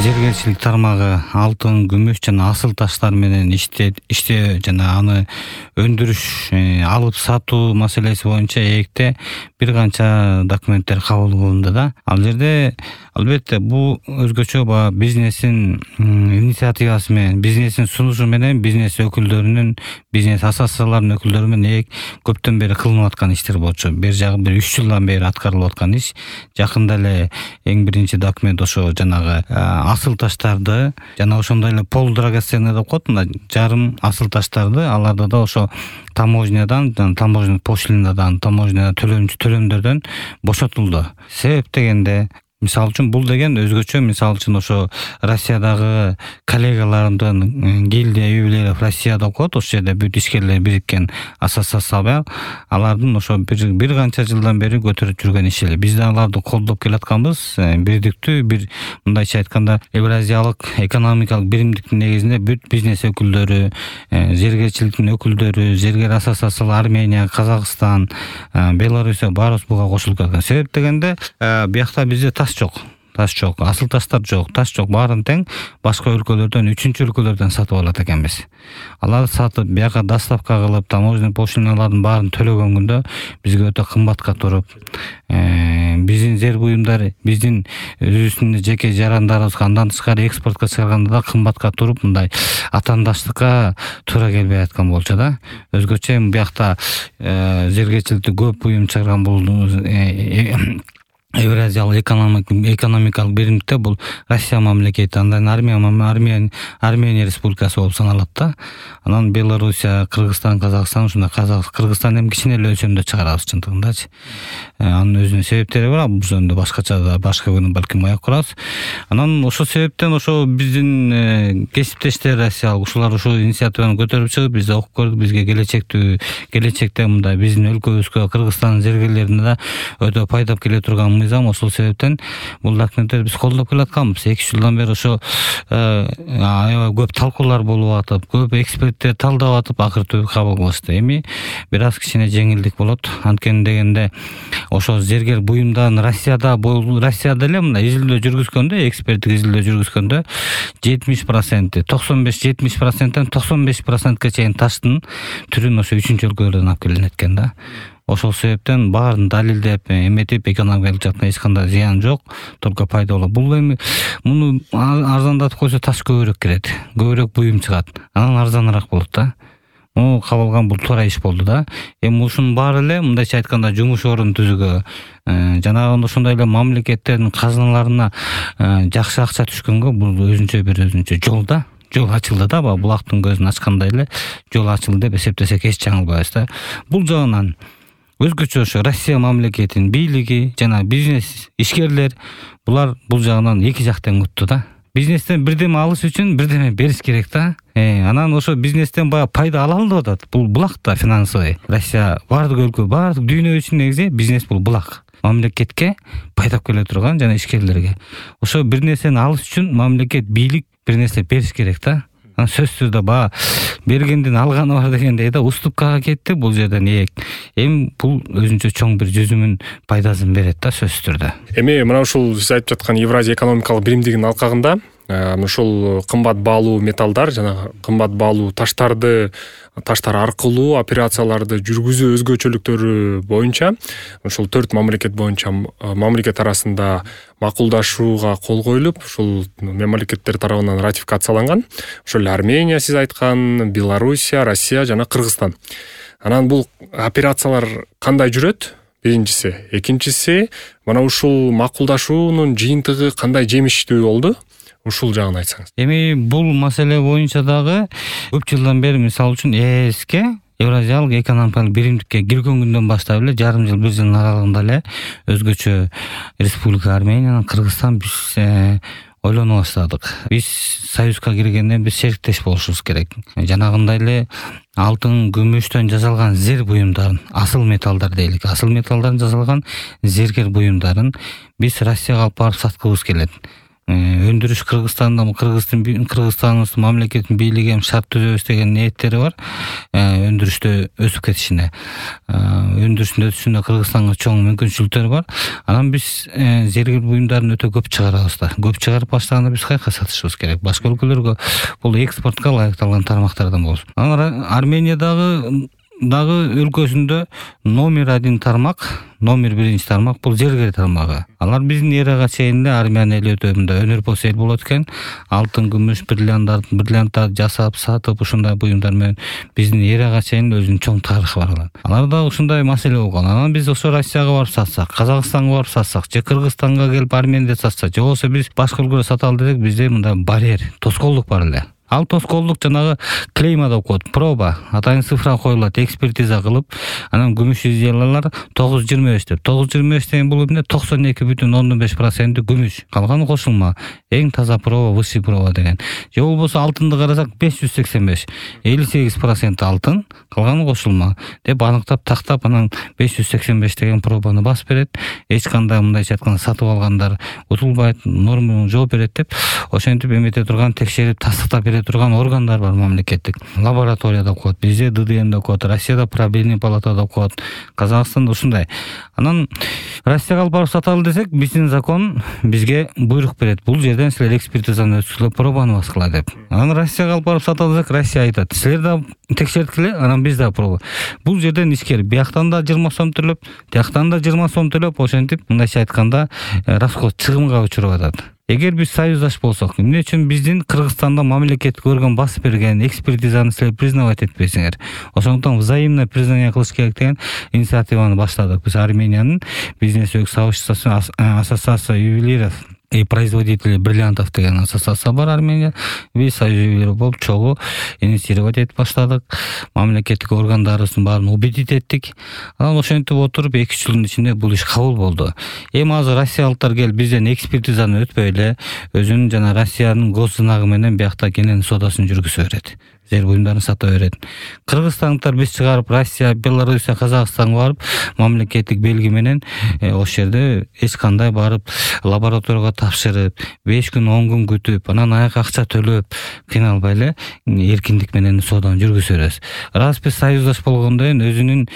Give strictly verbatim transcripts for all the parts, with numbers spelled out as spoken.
Зергерчилик тармагы алтын, күмүш жана асыл таштар менен иштеп иштөө жана аны өндүрүш, алып сатуу маселеси боюнча ЭЭКте бир канча документтер кабыл кылынды да. Ал жерде албетте бул өзгөчө баягы бизнестин инициативасы менен, бизнестин сунушу менен бизнес өкүлдөрүнүн, бизнес ассоциацияларынын өкүлдөрү менен ЭЭК көптөн бери кылынып аткан иштер болчу. Бир жагы бир үч жылдан бери аткарылып аткан иш. Жакында эле эң биринчи документ ошо жанагы асыл таштарды жана ошондой эле пол драгоценный деп коет, мына жарым асыл таштарды аларды да ошо таможнядан, таможня пошлинадан, таможня төлөмдөрдөн бошотулду. Себеп дегенде, мисалы үчүн бул деген өзгөчө, мисалы үчүн ошо Россиядагы коллегаларымдын гильдия üyeleri Россияда окуат, ошол жерде бүт ишкерлер бириккен ассоциация, алардын ошо бир бир канча жылдан бери көтөрүп жүргөн иши. Биз да аларды колдоп келатканбыз. Бирдиктүү бир, мындайча айтканда, Евразиялык экономикалык биримдиктин негизинде бүт бизнес өкүлдөрү, зергерчиликтин өкүлдөрү, зергер ассоциациялар Армения, Казакстан, Белоруссия баарыбыз буга кошулуп кеткен. Себеп дегенде, биякта бизде таш жок. Таш жок, асыл таштар жок, таш жок, баарын тең башка өлкөлөрдөн, үчүнчү өлкөлөрдөн сатып алат экенбиз. Аларды сатып, бияка доставка кылып, таможня пошлиналарын баарын төлөгөн күндө бизге өтө кымбатка туруп, биздин зер буюмдар, биздин өзүбүздүн жеке жарандарыбызга андан тышкары экспортко чыгарганда да кымбатка туруп, мындай атаандаштыкка туура келбей аткан болчу да. Өзгөчө биякта зергерчиликти көп буюм чыгарган бул Евразиялык экономикалык биримдикте бул Россия мамлекети, андан Армения Армения Армения республикасы болуп саналат да. Анан Белоруссия, Кыргызстан, Казакстан, ушундай Казак, Кыргызстан эми кичине эле өлчөмдө чыгарабыз чындыгындачы. Анын өзүнүн себептери бар, бул жөнүндө башкача да башка күнү балким аяк курабыз. Анан ошол себептен ошо биздин кесиптештер Россиялык ушулар ушул инициативаны көтөрүп чыгып, биз окуп көрдүк, бизге келечектүү келечекте мындай биздин өлкөбүзгө, Кыргызстан зергерлерине да өтө пайдап келе турган мыйзам. Ошол себептен бул документтерди биз колдоп келатканбыз. эки үч жылдан бери ошо аябай көп талкуулар болуп атып, көп эксперттер талдап атып, акыры түбү кабыл кылышты. Эми бир аз кичине жеңилдик болот. Анткени дегенде ошо зергер буюмдан Россияда Россияда эле мындай изилдөө жүргүзгөндө, эксперттик изилдөө жүргүзгөндө жетимиш процент, токсон беш жетимиш проценттен токсон беш процентке чейин таштын түрүн ошо үчүнчү өлкөлөрдөн алып келинет экен да. Ошол себептен баарын далилдеп, эметип, экономикалык жактан эч кандай зыян жок, только пайда болот. Бул эми муну арзандатып койсо таш көбүрөөк кирет, көбүрөөк буюм чыгат, анан арзаныраак болот да. Муну кабылган бул туура иш болду да. Эми ушунун баары эле мындайча айтканда жумуш орун түзүүгө, жанагы ошондой эле мамлекеттердин казыналарына жакшы акча түшкөнгө бул өзүнчө бир өзүнчө жол да. Жол ачылды да, булактын көзүн ачкандай эле жол ачылды деп эсептесек эч жаңылбайбыз да. Бул жагынан өзгөчө ошо Россия мамлекетинин бийлиги жана бизнес ишкерлер булар бул жагынан эки жак тең утту да. Бизнестен бирдеме алыш үчүн бирдеме бериш керек да. Э, анан ошо бизнестен баягы пайда ала алды атат. Бул булак да финансовый. Россия бардык өлкө, бардык дүйнө үчүн негизи бизнес бул булак. Мамлекетке пайдап келе турган жана ишкерлерге. Ошо бир нерсени алыш үчүн мамлекет, бийлик бир нерсе бериш керек да. Сөзсүз да баа бергенден алганы бар дегендей да, уступкага кетти бул жерден ээк. Эми бул өзүнчө чоң бир жүзүмүн пайдасын берет да, сөзсүз түрдө. Эми мына ушул сиз айтып жаткан Евразия экономикалык биримдигинин алкагында ушул кымбат баалуу металлдар жана кымбат баалуу таштарды таштар аркылуу операцияларды жүргүзүү өзгөчөлүктөрү боюнча ушул төрт мамлекет боюнча мамлекет арасында макулдашууга кол коюлуп, ушул мамлекеттер тарабынан ратификацияланган. Ошол Армения сиз айткан, Белоруссия, Россия жана Кыргызстан. Анан бул операциялар кандай жүрөт? Биринчиси, экинчиси, мына ушул макулдашуунун жыйынтыгы кандай жемиштүү болду? Ушул жагын айтсаңыз. Эми бул маселе боюнча дагы көп жылдан бери мисалы үчүн ЭСке, Евразиялык экономикалык биримдикке кирген күндөн баштап эле жарым жыл, бир жылдын аралыгында эле өзгөчө Республика Армения, Кыргызстан биз ойлоно баштадык. Биз союзга киргенден биз шериктеш болушубуз керек. Жанагындай эле алтын, күмүштөн жасалган зер буюмдарын, асыл металлдар дейлик, асыл металлдардан жасалган зергер буюмдарын биз Россияга алып барып саткыбыз келет. өндүрүш Кыргызстанда Кыргыздын Кыргызстандын мамлекеттин бийлиги эми шарт түзөбүз деген ниеттери бар өндүрүштө өсүп кетишине. Өндүрүштүн өсүшүнө Кыргызстанга чоң мүмкүнчүлүктөр бар. Анан биз зергер буюмдарын өтө көп чыгарабыз да. Көп чыгарып баштаганда биз кайка сатышыбыз керек. Башка өлкөлөргө бул экспортко ылайыкталган тармактардан болсун. Анан Армениядагы дагы өлкөсүндө номер один тармак, номер биринчи тармак бул зергер тармагы. Алар биздин эрага чейин эле Армян эли өтө мындай өнөрпос эл болот экен. Алтын, күмүш, бриллианттар, бриллианттар жасап, сатып ушундай буюмдар менен биздин эрага чейин өзүнүн чоң тарыхы бар. Аларда ушундай маселе болгон. Анан биз ошо Россияга барып сатсак, Казакстанга барып сатсак, же Кыргызстанга келип Арменияда сатсак, же болбосо биз башка өлкөгө саталы десек, бизде мындай барьер, тоскоолдук бар эле. Ал тоскоолдук жанагы клейма деп коет, проба, атайын цифра коюлат, экспертиза кылып, анан күмүш изделиялар тогуз жүз жыйырма беш деп. тогуз жүз жыйырма беш деген бул эмне? токсон эки бүтүн ондон беш проценти күмүш. Калганы кошулма. Эң таза проба, высший проба деген. Же болбосо алтынды карасак беш жүз сексен беш. элүү сегиз процент алтын, калганы кошулма деп аныктап тактап, анан беш жүз сексен беш деген пробаны басып берет. Эч кандай мындайча айтканда сатып алгандар утулбайт, нормага жооп берет деп ошентип эмете турган, текшерип тастыктап берет турган органдар бар мамлекеттик. Лаборатория деп коет, бизде ди ди эм деп коет, Россияда правление палата деп коет, Казакстанда ушундай. Анан Россияга алып барып саталы десек, биздин закон бизге буйрук берет. Бул жерден силер экспертизаны өткүзүп, пробаны баскыла деп. Анан Россияга алып барып саталы десек, Россия айтат: "Силер да текшерткиле, анан биз да проба." Бул жерден ишкер бияктан да жыйырма сом төлөп, тияктан да жыйырма сом төлөп, ошентип мындайча айтканда расход чыгымга учуруп атат. Эгер биз союздаш болсок, эмне үчүн биздин Кыргызстанда мамлекеттик орган басып берген экспертизаны силер признавать этпейсиңер? Ошондуктан взаимное признание кылыш керек деген инициативаны баштадык. Биз Армениянын бизнес сообществосу, ассоциация ювелиров и производителей бриллиантов деген ассоциация бар Армения. Биз союз ювелиров болуп чогуу инициировать этип баштадык. Мамлекеттик органдарыбыздын баарын убедить эттик. Анан ошентип отуруп эки үч жылдын ичинде бул иш кабыл болду. Эми азыр россиялыктар келип бизден экспертизаны өтпөй эле өзүнүн жана Россиянын госзнагы менен биякта кенен соодасын жүргүзө берет. Зер буюмдарын сата берет. Кыргызстандыктар биз чыгарып Россия, Белоруссия, Казакстанга барып мамлекеттик белги менен ошол жерде эч кандай барып лабораторияга тапшырып, беш күн, он күн күтүп, анан аяк акча төлөп кыйналбай эле эркиндик менен сооданы жүргүзө беребиз. Раз биз союздаш болгондон кийин өзүнүн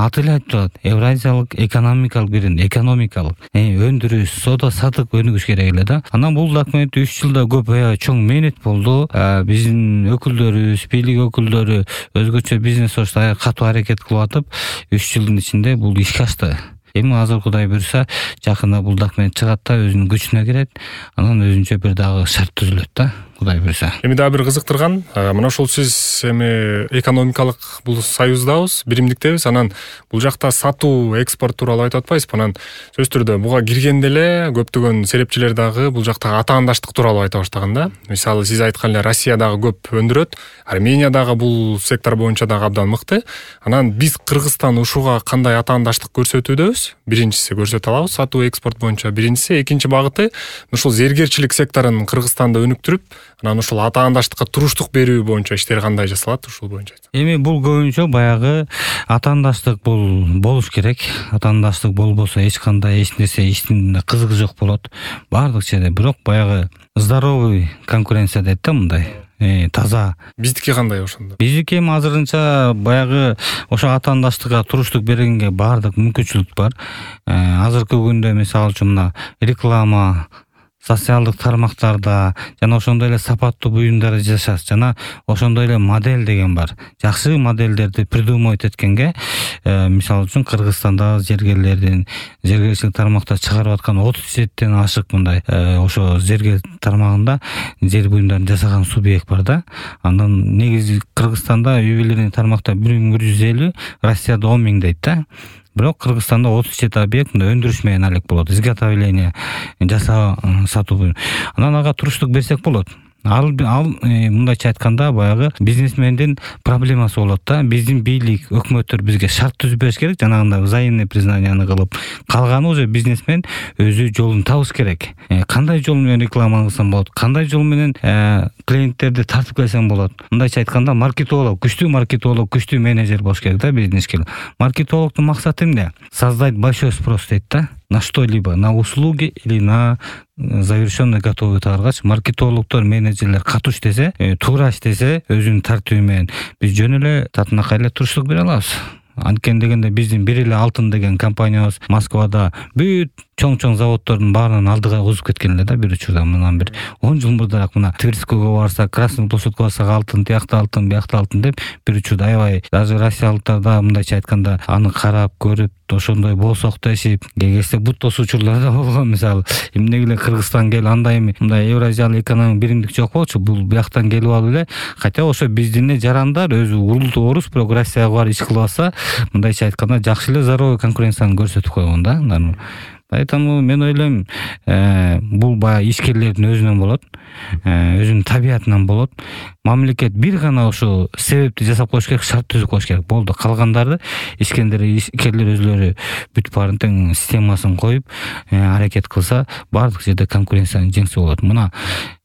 аты эле айтып турат, Евразиялык экономикалык бирин, экономикалык өндүрүш, соода сатып өнүгүш керек эле да. Анан бул документ үч жылда көп чоң мээнет болду. Биздин өкүлдөр, бийлик өкүлдөрү өзгөчө бизнес союзда катуу аракет кылып атып, үч жылдын ичинде бул ишке ашты. Эми азыр Кудай буйрса, жакында бул документ чыгат да, өзүнүн күчүнө кирет. Анан өзүнчө бир дагы шарт түзүлөт да. Кудай буйрса. Эми дагы бир кызыктырган, мына ошол сиз эми экономикалык бул союздабыз, биримдиктебиз. Анан бул жакта сатуу, экспорт тууралуу айтып атпайсызбы? Анан сөзсүз түрдө буга киргенде эле көптөгөн серепчилер дагы бул жактагы атаандаштык тууралуу айта баштаган да. Мисалы сиз айткан эле Россия дагы көп өндүрөт, Армения дагы бул сектор боюнча дагы абдан мыкты. Анан биз Кыргызстан ушуга кандай атаандаштык көрсөтүүдөбүз? Биринчиси көрсөтө алабыз сатуу, экспорт боюнча. Биринчиси, экинчи багыты ушул зергерчилик секторун Кыргызстанда өнүктүрүп, анан ушул атаандаштыкка туруштук берүү боюнча иштер кандай жасалат ушул боюнча? Эми бул көбүнчө баягы атаандаштык бул болуш керек. Атаандаштык болбосо эч кандай эч нерсе иштин кызыгы жок болот. Бардык жерде бирок баягы здоровый конкуренция дейт да мындай. Э, таза. Биздики кандай ошондо? Биздики эми азырынча баягы ошо атаандаштыкка туруштук бергенге бардык мүмкүнчүлүк бар. Азыркы күндө мисалы үчүн мына реклама, социалдык тармактарда жана ошондой эле сапаттуу буюмдар жасаш, жана ошондой эле модель деген бар. Жакшы моделдерди придумать эткенге, мисалы үчүн Кыргызстанда зергерлердин зергерчилик тармакта чыгарып аткан отуз жетиден ашык мындай ошо зергер тармагында жер буюмдарын жасаган субъект бар да. Андан негизи Кыргызстанда ювелирный тармакта бир миң бир жүз элүү, Россияда он миң дейт да. Бирок Кыргызстанда отуз жети объект өндүрүш менен алек болот. Изготовление, жасоо, сатуу. Анан ага туруштук берсек болот. Ал ал мындайча айтканда баягы бизнесмендин проблемасы болот да. Биздин бийлик, өкмөттөр бизге шарт түзүп бериш керек, жанагындай взаимный признанияны кылып. Калганы уже бизнесмен өзү жолун табыш керек. Кандай жол менен реклама кылсам болот? Кандай жол менен клиенттерди тартып келсем болот? Мындайча айтканда маркетолог, күчтүү маркетолог, күчтүү менеджер болуш керек да бизнеске. Маркетологдун максаты эмне? Создать большой спрос дейт да. на что-либо, на услуги или на завершенный готовый товаргач маркетологдор, менеджерлер катуу иштесе, туура иштесе, өзүнүн тартиби менен биз жөн эле татынакай эле туруштук бере алабыз. Анткени дегенде биздин бир эле алтын деген компаниябыз Москвада бүт чоң-чоң заводдордун баарынан алдыга озуп кеткен эле да бир учурда. Мындан бир он жыл мурдараак мына Тверскийге барсак, Красный площадьга барсак алтын, тиякта алтын, биякта алтын деп бир учурда аябай даже россиялыктар да мындайча айтканда аны карап көрүп ошондой болсок дешип кегесте бут тосуучулар да болгон. Мисалы эмне эле Кыргызстан кел андай эми мындай Евразиялык экономик биримдик жок болчу, бул бияктан келип алып эле, хотя ошо биздин эле жарандар өзү урулду орус бирок Россияга барып иш кылып алса, мындайча айтканда жакшы эле здоровый конкуренцияны көрсөтүп койгон да. Поэтому мен ойлойм, бул баягы ишкерлердин өзүнөн болот, өзүнүн табиятынан болот. Мамлекет бир гана ошо себепти жасап коюш керек, шарт түзүп коюш керек. Болду, калгандарды ишкерлер ишкерлер өзүлөрү бүт баарын тең системасын коюп аракет кылса, баардык жерде конкуренциянын жеңси болот. Мына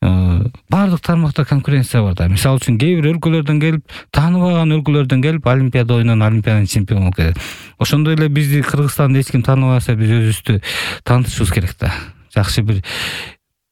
баардык тармакта конкуренция бар да. Мисалы үчүн кээ бир өлкөлөрдөн келип, тааныбаган өлкөлөрдөн келип олимпиада ойнон олимпиаданын чемпиону болуп кетет. Ошондой эле бизди Кыргызстанды эч ким тааныбаса, биз өзүбүздү таанытышыбыз керек да. Жакшы бир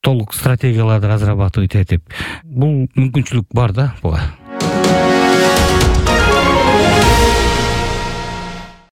толук стратегияларды разрабатывать этип, бул мүмкүнчүлүк бар да буга.